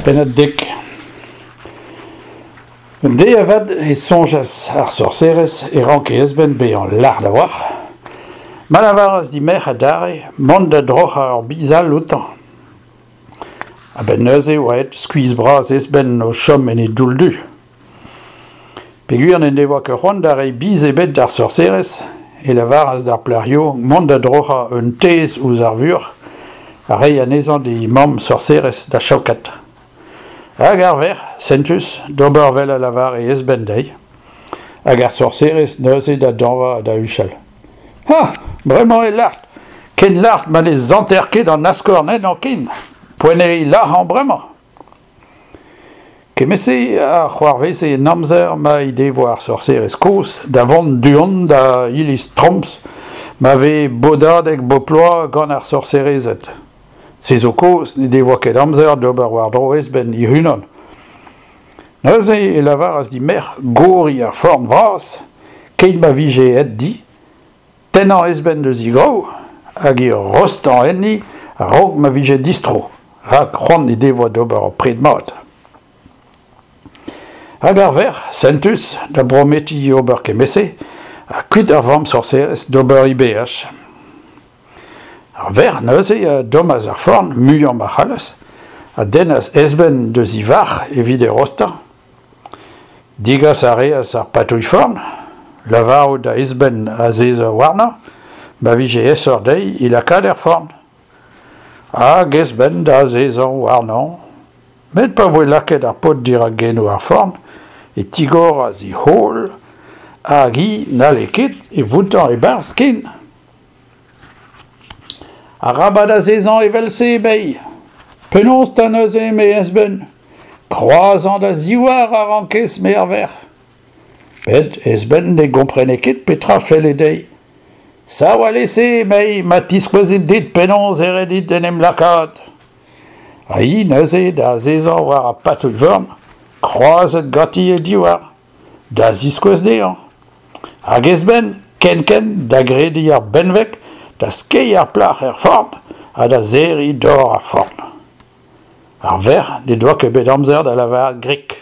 Pennad dek. Un deiz avat e soñjas ar sorserez e ranke Esben bezañ lart a-walc'h, ma lavaras d'he merc'h adarre mont da droc'hañ ur biz all outañ. A-benn neuze e oa aet skuizh-bras Esben o chom en e doull-du. Peogwir n'en devoa ket c'hoant da reiñ biz ebet d'ar sorserez e lavaras d'ar plac'h yaouank mont da droc'hañ un tezh ouzh ar vuoc'h ha reiñ anezhañ d'he mamm sorserez da chaokat. Hag ar verc'h, sentus, d'ober 'vel a lavare Esben dezhi. Hag ar sorserez neuze da dañva ha da huchal. Ha! Bremañ eo lart! Ken lart ma ne santer ket an askorn ennañ ken! Poent eo e lazhañ bremañ! Kement-se a c'hoarveze en amzer ma he devoa ar sorserez kozh da vont du-hont da iliz Troms ma vez bodadeg bep bloaz gant ar sorserezed. Se zo kaoz n'he devoa ket amzer d'ober war-dro Esben hec'h-unan. Neuze e lavaras d'he merc'h goriñ ar forn vras keit ma vije aet di, Tennañ Esben eus he graou hag he rostañ enni a-raok ma vije distro, rak c'hoant he devoa d'ober ur pred mat. Hag ar verc'h, sentus, da brometiñ ober kement-se, ha kuit ar vamm sorserez d'ober he beaj. Ar verc'h neuze a dommas ar forn muiañ ma c'hallas, a dennas Esben deus he varc'h evit e rostañ. Degas a reas ar patouilh-forn, lavarout da Esben azezañ warnañ, ma vije aesoc'h dezhi e lakaat er forn. Hag Esben da azezañ warnañ. Met pa voe lakaet ar paotr dirak genoù ar forn e tigoras e c'hol hag hi n'halle ket e voutañ e-barzh ken. Arabat azezañ evel-se, emei. Penaos 'ta neuze, eme Esben? Kroazañ da zivhar a rankez, me ar verc'h. Met Esben ne gomprene ket petra felle dezhi. Sav alese, emei, ma tiskouezin dit penaos e ret dit en em lakaat. Ha hi neuze da azezañ war ar patouilh-vern, kroazet ganti he divhar, da ziskouez dezhañ. Hag Esben, kenkent, da grediñ ar benveg, da skeiñ ar plac'h er forn ha da serriñ dor ar forn. Ar verc'h n'he doa ket bet amzer da lavaret grik.